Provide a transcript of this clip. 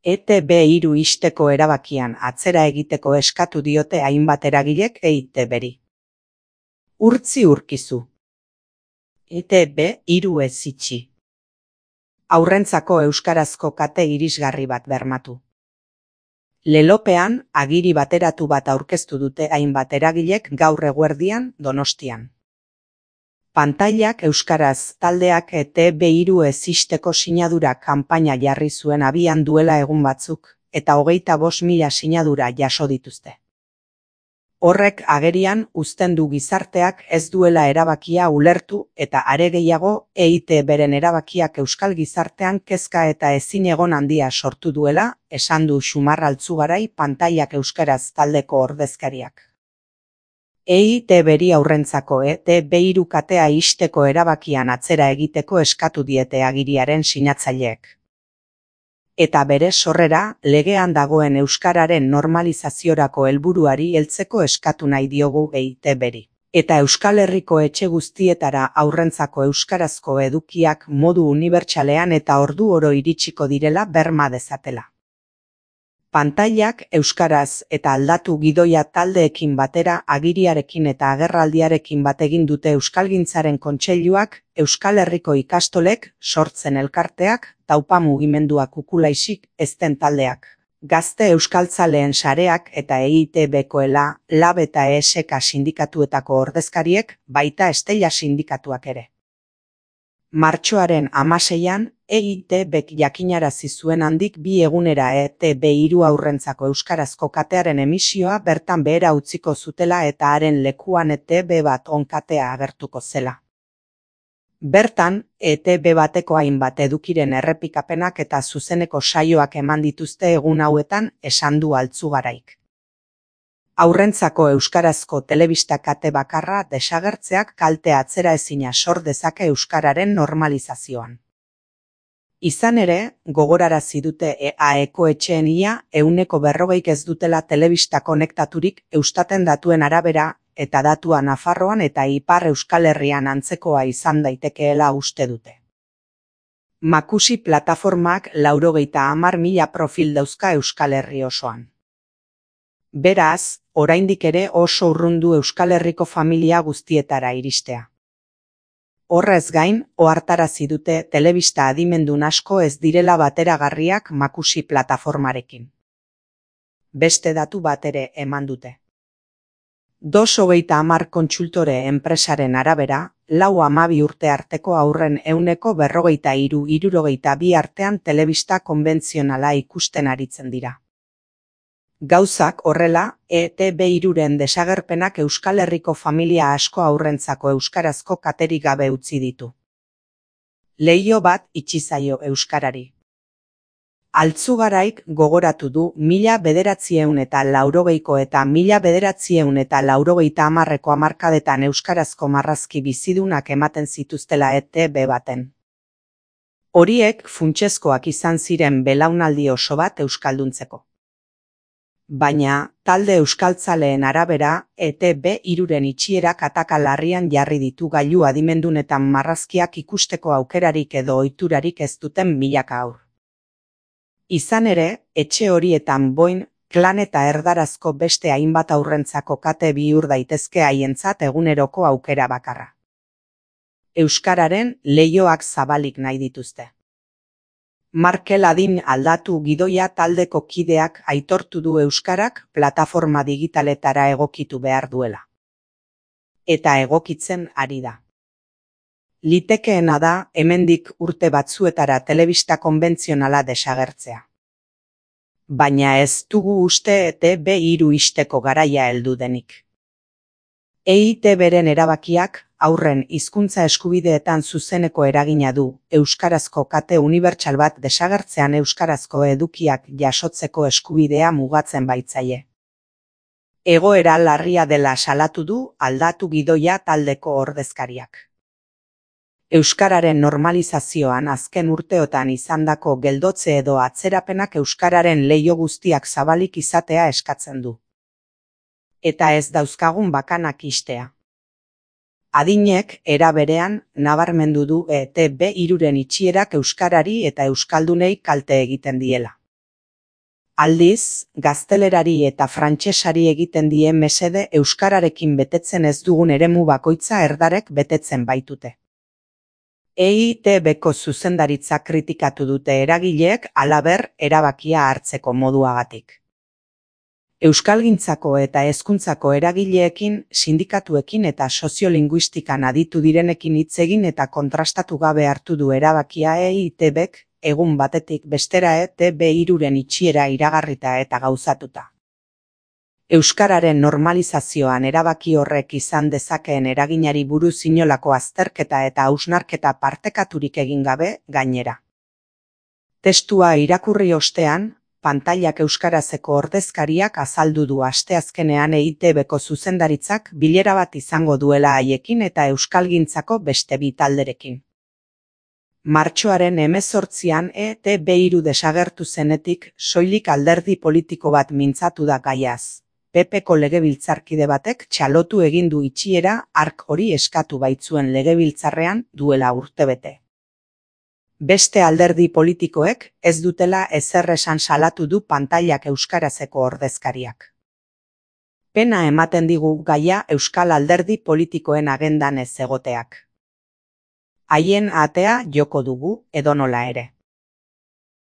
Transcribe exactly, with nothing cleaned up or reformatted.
E Te Be hiru ixteko erabakian atzera egiteko eskatu diote hainbat eragilek E Te Beri. Urtzi urkizu. E Te Be hiru ez itxi. Haurrentzako euskarazko kate irisgarri bat bermatu. Lelopean, agiri bateratu bat aurkeztu dute hainbat eragilek gaur eguerdian Donostian. Pantailak euskaraz taldeak E Te Be hiru ez ixteko sinadura kanpaina jarri zuen abian duela egun batzuk, eta hogeita bost mila sinadura jaso dituzte. Horrek agerian uzten du gizarteak ez duela erabakia ulertu eta are gehiago E Te Beren erabakiak euskal gizartean kezka eta ezinegon handia sortu duela, esan du Xumar Altzugarai pantailak euskaraz taldeko ordezkariak. E Te Beri haurrentzako E Te Be hiru katea ixteko erabakian atzera egiteko eskatu diete agiriaren sinatzaileek. Eta bere sorrera, legean dagoen euskararen normalizaziorako helburuari heltzeko eskatu nahi diogu E Te Beri. Eta Euskal Herriko etxe guztietara haurrentzako euskarazko edukiak modu unibertsalean eta ordu oro iritsiko direla berma dezatela. Pantailak euskaraz eta aldatu gidoia taldeekin batera agiriarekin eta agerraldiarekin bat egin dute Euskalgintzaren Kontseiluak, Euskal Herriko ikastolek, sortzen elkarteak, taupa mugimenduak ukulaisik, ezten taldeak, gazte euskaltzaleen sareak eta E Te Bekoela, Lab eta E S K sindikatuetako ordezkariek, baita Estella sindikatuak ere. Martxoaren hamaseian, E Te Bek jakinarazi zuen handik bi egunera E Te Be hiru haurrentzako euskarazko katearen emisioa bertan behera utziko zutela eta haren lekuan E Te Be bat onkatea agertuko zela. Bertan, E Te Be bateko hainbat edukiren errepikapenak eta zuzeneko saioak eman dituzte egun hauetan, esan du Altzugaraik. Haurrentzako euskarazko telebista kate bakarra desagertzeak kalte atzeraezina sor dezake euskararen normalizazioan. Izan ere, gogorarazi dute E A ekoetxeen ia ehuneko berrogeik ez dutela telebista konektaturik Eustaten datuen arabera, eta datua Nafarroan eta Ipar Euskal Herrian antzekoa izan daitekeela uste dute. Makusi plataformak laurogeita hamar mila profil dauzka Euskal Herri osoan. Beraz, oraindik ere oso urrundu Euskal Herriko familia guztietara iristea. Horrez gain, ohartarazi dute telebista adimendun asko ez direla bateragarriak Makusi plataformarekin. Beste datu bat ere eman dute. Dos hogeita hamar kontsultore enpresaren arabera, lau hamabi urte arteko haurren ehuneko berrogeita hiru hirurogeita bi artean telebista konbentzionala ikusten aritzen dira. Gauzak horrela, E Te Be hiruren desagerpenak Euskal Herriko familia asko haurrentzako euskarazko katerik gabe utzi ditu. Leiho bat itxi zaio euskarari. Altzugaraik gogoratu du mila bederatziehun eta laurogeiko eta mila bederatziehun eta laurogeita hamarreko hamarkadetan euskarazko marrazki bizidunak ematen zituztela E Te Be baten. Horiek funtsezkoak izan ziren belaunaldi oso bat euskalduntzeko. Baina, talde euskaltzaleen arabera, E Te Be hiruren itxierak ataka larrian jarri ditu gailu adimendunetan marrazkiak ikusteko aukerarik edo ohiturarik ez duten milaka haur. Izan ere, etxe horietan boin, klan eta erdarazko beste hainbat haurrentzako kate bihur daitezke haientzat eguneroko aukera bakarra. Euskararen leihoak zabalik nahi dituzte. Markel Adin aldatu gidoia taldeko kideak aitortu du euskarak plataforma digitaletara egokitu behar duela. Eta egokitzen ari da. Litekeena da hemendik urte batzuetara telebista konbentzionala desagertzea. Baina ez dugu uste E Te Be hiru ixteko garaia heldu denik. E Te Beren erabakiak haurren hizkuntza eskubideetan zuzeneko eragina du, euskarazko kate unibertsal bat desagertzean euskarazko edukiak jasotzeko eskubidea mugatzen baitzaie. Egoera larria dela salatu du aldatu gidoia taldeko ordezkariak. Euskararen normalizazioan azken urteotan izandako geldotze edo atzerapenak euskararen leiho guztiak zabalik izatea eskatzen du. Eta ez dauzkagun bakanak ixtea. Adinek, era berean, nabarmendu du E Te Be hiruren itxierak euskarari eta euskaldunei kalte egiten diela. Aldiz, gaztelerari eta frantsesari egiten die mesede euskararekin betetzen ez dugun eremu bakoitza erdarek betetzen baitute. E I T Bko zuzendaritza kritikatu dute eragileek halaber erabakia hartzeko moduagatik. Euskalgintzako eta hezkuntzako eragileekin, sindikatuekin eta soziolinguistikan aditu direnekin hitz egin eta kontrastatu gabe hartu du erabakia E I T Bk, egun batetik bestera E T B hiruren itxiera iragarrita eta gauzatuta. Euskararen normalizazioan erabaki horrek izan dezakeen eraginari buruz inolako azterketa eta hausnarketa partekaturik egin gabe, gainera. Testua irakurri ostean, pantailak euskarazeko ordezkariak azaldu du asteazkenean E I T Bko zuzendaritzak bilera bat izango duela haiekin eta euskalgintzako beste bi talderekin. Martxoaren hemezortzian E T B hiru desagertu zenetik soilik alderdi politiko bat mintzatu da gaiaz. P Pko legebiltzarkide batek txalotu egin du itxiera hark hori eskatu baitzuen legebiltzarrean duela urtebete. Beste alderdi politikoek ez dutela ezer esan salatu du pantailak euskarazeko ordezkariak. Pena ematen digu gaia euskal alderdi politikoen agendan ez egoteak. Haien atea joko dugu edonola ere.